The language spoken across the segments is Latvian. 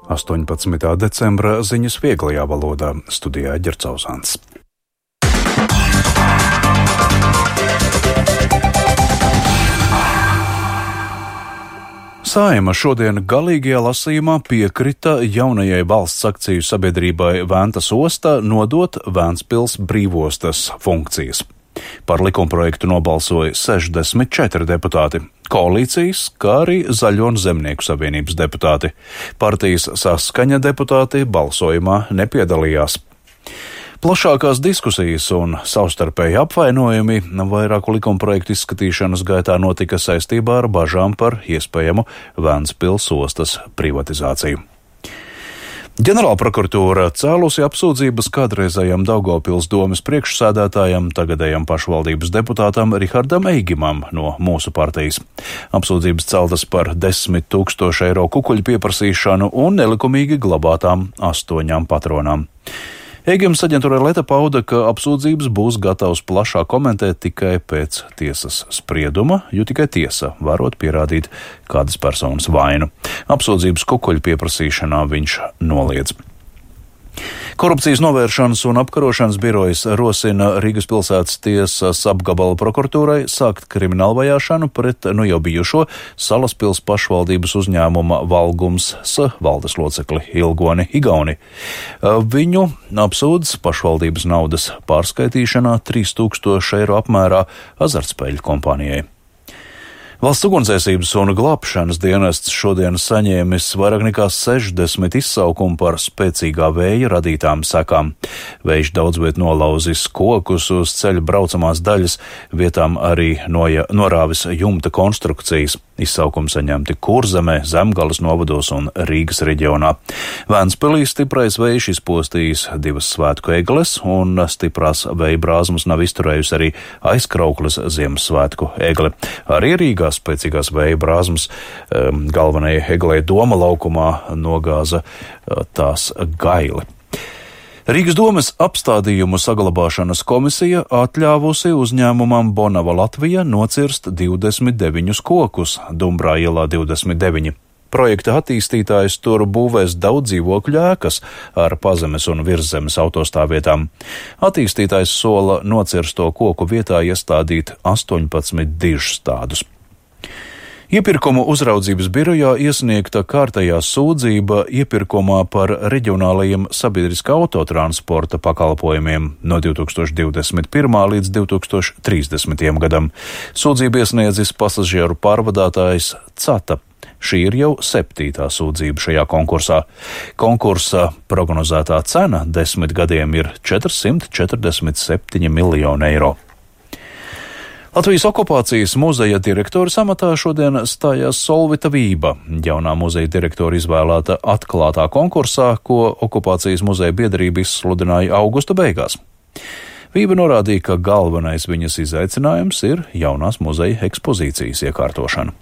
18. decembra ziņas vieglajā valodā, studijā Ģercauzāns. Saeima šodien galīgajā lasījumā piekrita jaunajai valsts akciju sabiedrībai Ventas osta nodot Ventspils brīvostas funkcijas. Par likumprojektu nobalsoja 64 deputāti, koalīcijas, kā arī Zaļo un Zemnieku savienības deputāti. Partijas Saskaņa deputāti balsojumā nepiedalījās. Plašākās diskusijas un savstarpēji apvainojumi vairāku likumprojektu izskatīšanas gaitā notika saistībā ar bažām par iespējamu Ventspils ostas privatizāciju. Ģenerālprokuratūra cēlusi apsūdzības kādreizējam Daugavpils domes priekšsēdētājam, tagadējam pašvaldības deputātam Rihardam Eigimam no mūsu partijas. Apsūdzības celtas par 10 000 eiro kukuļu pieprasīšanu un nelikumīgi glabātām 8 patronām. Eigims aģentūrai Leta pauda, ka apsūdzības būs gatavs plašāk komentēt tikai pēc tiesas sprieduma, jo tikai tiesa varot pierādīt kādas personas vainu. Apsūdzības kukuļu pieprasīšanā viņš noliedz. Korupcijas novēršanas un apkarošanas birojas rosina Rīgas pilsētas tiesas apgabala prokuratūrai sākt kriminālu vajāšanu pret jau bijušo Salaspils pašvaldības uzņēmuma Valgums valdes locekli Ilgoni Igauni. Viņu apsūdz pašvaldības naudas pārskaitīšanā 3000 eiro apmērā azartspēļu kompānijai. Valsts ugunsdzēsības un glābšanas dienests šodien saņēmis vairāk nekā 60 izsaukumu par spēcīgā vēja radītām sekām. Vējš daudzviet nolauzis kokus uz ceļa braucamās daļas, vietām arī norāvis jumta konstrukcijas. Izsaukumi saņemti Kurzemē, Zemgales novados un Rīgas reģionā. Ventspilī stiprais vējš izpostījis 2 svētku egles, un stiprās vēja brāzmas nav izturējusi arī Aizkraukles Ziemassvētku egle. Arī Rīgā spēcīgās vēja brāzmas galvenajai eglei Doma laukumā nogāza tās gaili. Rīgas domes apstādījumu saglabāšanas komisija atļāvusi uzņēmumam Bonava Latvija nocirst 29 kokus Dumbrā ielā 29. Projekta attīstītājs tur būvēs daudz dzīvokļu ēkas ar pazemes un virszemes autostāvvietām. Attīstītājs sola nocirsto koku vietā iestādīt 18 dižstādus. Iepirkumu uzraudzības birojā iesniegta kārtējā sūdzība iepirkumā par reģionālajiem sabiedriskā autotransporta pakalpojumiem no 2021. līdz 2030. gadam. Sūdzību iesniedzis pasažieru pārvadātājs Cata. Šī ir jau 7. sūdzība šajā konkursā. Konkursa prognozētā cena 10 gadiem ir 447 miljoni eiro. Latvijas okupācijas muzeja direktora amatā šodien stājās Solvita Vība, jaunā muzeja direktora izvēlēta atklātā konkursā, ko okupācijas muzeja biedrība izsludināja augusta beigās. Vība norādīja, ka galvenais viņas izaicinājums ir jaunās muzeja ekspozīcijas iekārtošana.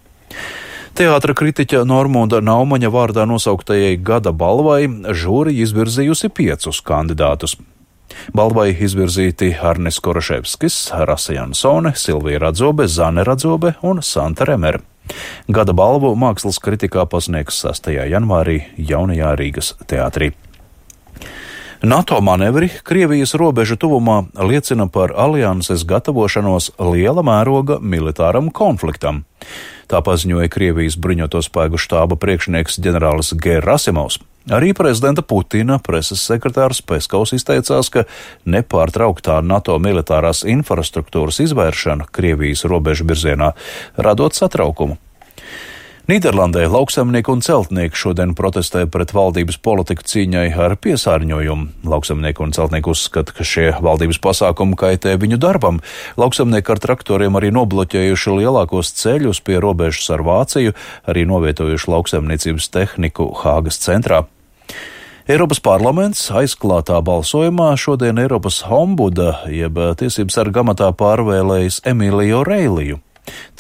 Teātra kritiķa Normunda Naumaņa vārdā nosauktajai gada balvai žūrija izvirzījusi 5 kandidātus. Balvai izvirzīti Arnis Koroševskis, Rasa Jansone, Silvija Radzobe, Zane Radzobe un Santa Remere. Gada balvu mākslas kritikā pasniegs 6. janvārī jaunajā Rīgas teātrī. NATO manevri Krievijas robežu tuvumā liecina par alianses gatavošanos liela mēroga militāram konfliktam. Tā paziņoja Krievijas bruņoto spēku štāba priekšnieks ģenerālis Gerasimovs. Arī prezidenta Putina preses sekretārs Peskaus izteicās, ka nepārtrauktā NATO militārās infrastruktūras izvēršana Krievijas robežu virzienā radot satraukumu. Nīderlandē lauksaimnieki un celtnieki šodien protestē pret valdības politiku cīņai ar piesārņojumu. Lauksaimnieki un celtnieki uzskata, ka šie valdības pasākumi kaitē viņu darbam. Lauksaimnieki ar traktoriem arī nobloķējuši lielākos ceļus pie robežas ar Vāciju, arī novietojuši lauksaimniecības tehniku Hāgas centrā. Eiropas parlaments aizklātā balsojumā šodien Eiropas ombuda jeb tiesības sarga amatā pārvēlējis Emīliju Reiliju.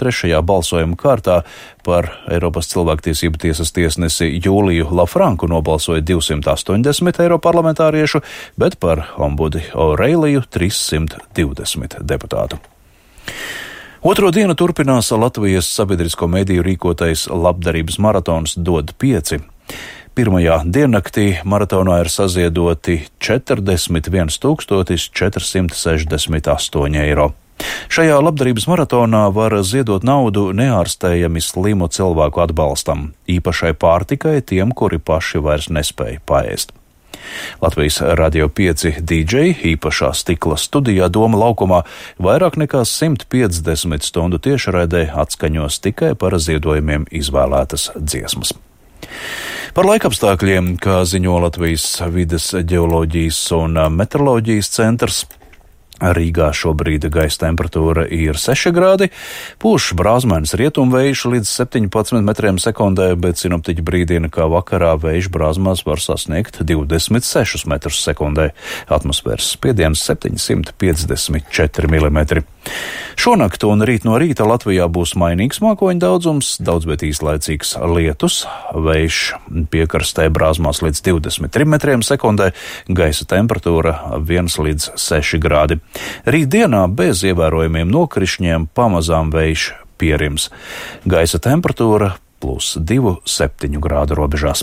Trešajā balsojuma kārtā par Eiropas cilvēktiesību tiesas tiesnesi Jūliju Lafranku nobalsoja 280 eiroparlamentāriešu, bet par ombudi Oreiliju 320 deputātu. Otro dienu turpinās Latvijas sabiedrisko mediju rīkotais labdarības maratons Dod 5. Pirmajā diennaktī maratonā ir saziedoti 41 468 eiro. Šajā labdarības maratonā var ziedot naudu neārstējami slimu cilvēku atbalstam, īpašai pārtikai tiem, kuri paši vairs nespēja paēst. Latvijas Radio 5 DJ īpašā stikla studijā Doma laukumā vairāk nekā 150 stundu tiešraidē atskaņos tikai par ziedojumiem izvēlētas dziesmas. Par laikapstākļiem, kā ziņo Latvijas vides ģeoloģijas un meteoroloģijas centrs, Rīgā šobrīd gaisa temperatūra ir 6 grādi, pūš brāzmainis rietumvējš līdz 17 metriem sekundē, bet sinoptiķi brīdina, ka vakarā vējš brāzmās var sasniegt 26 metrus sekundē, atmosfēras spiediens 754 mm. Šonakt un rīt no rīta Latvijā būs mainīgs mākoņu daudzums, daudz, bet īslaicīgs lietus, vējš piekrastē brāzmās līdz 23 metriem sekundē, gaisa temperatūra 1 līdz 6 grādi. Rītdienā bez ievērojumiem nokrišņiem pamazām vējš pierims. Gaisa temperatūra +2, 7 grādu robežās.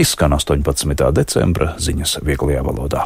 Izskan 18. decembra ziņas vieglajā valodā.